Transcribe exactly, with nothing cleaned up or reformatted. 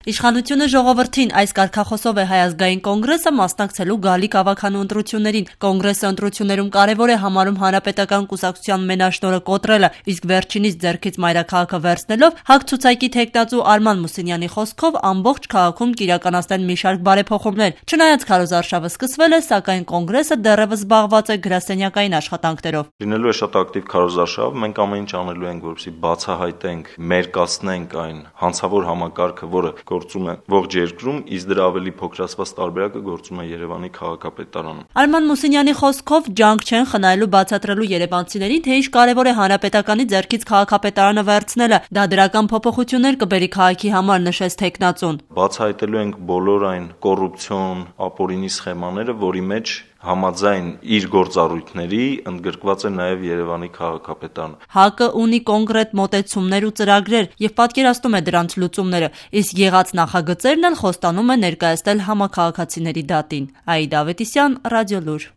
Իշխանությունը ժողովրդին այս կարգախոսով է Հայ ազգային կոնգրեսը մասնակցելու գալիք ավագանու ընտրություններին։ Կոնգրեսը ընտրություններում կարևոր է համարում հանրապետական կուսակցության մենաշնորհը կոտրելը, իսկ վերջինից ձեռքից մայրաքաղաքը վերցնելով ՀԱԿ ցուցակի թեկնածու Արման Մուսինյանի խոսքով ամբողջ քաղաքում կիրականացնել մի շարք բարեփոխումներ։ Չնայած քարոզարշավը սկսվել է, սակայն կոնգրեսը դեռևս զբաղված է գրասենյակային աշխատանքներով։ Լինելու է շատ ակտիվ քարոզարշավ, մենք ամեն ինչ անելու ենք, որպեսզի բացահայտենք, մերկացնենք այն հանցավոր համակարգը, որը գործում է ողջ երկրում, իսկ դրա ավելի փոքրացված տարբերակը գործում է Երևանի քաղաքապետարանում։ Արման Մուսինյանի խոսքով ջանք չեն խնայելու բացատրելու երևանցիներին, թե ինչ կարևոր է հանրապետականի ձեռքից քաղաքապետարանը վերցնելը, դա դրական փոփոխություններ կբերի քաղաքի համար, նշեց թեկնածուն։ Բացահայտելու ենք բոլոր այն կոռուպցիոն, ապօրինի սխեմաները, որի մեջ համաձայն իր գործառույթների ընդգրկված է նաև Երևանի քաղաքապետարանը։ ՀԱԿ-ը ունի կոնկրետ մոտեցումներ ու ծրագրեր եւ պատկերացնում է դրանց լուծումները, իսկ եղած նախագծերն էլ խոստանում է ներկայացնել համաքաղաքացիների դատին։ Աիդա Ավետիսյան, Ռադիոլուր։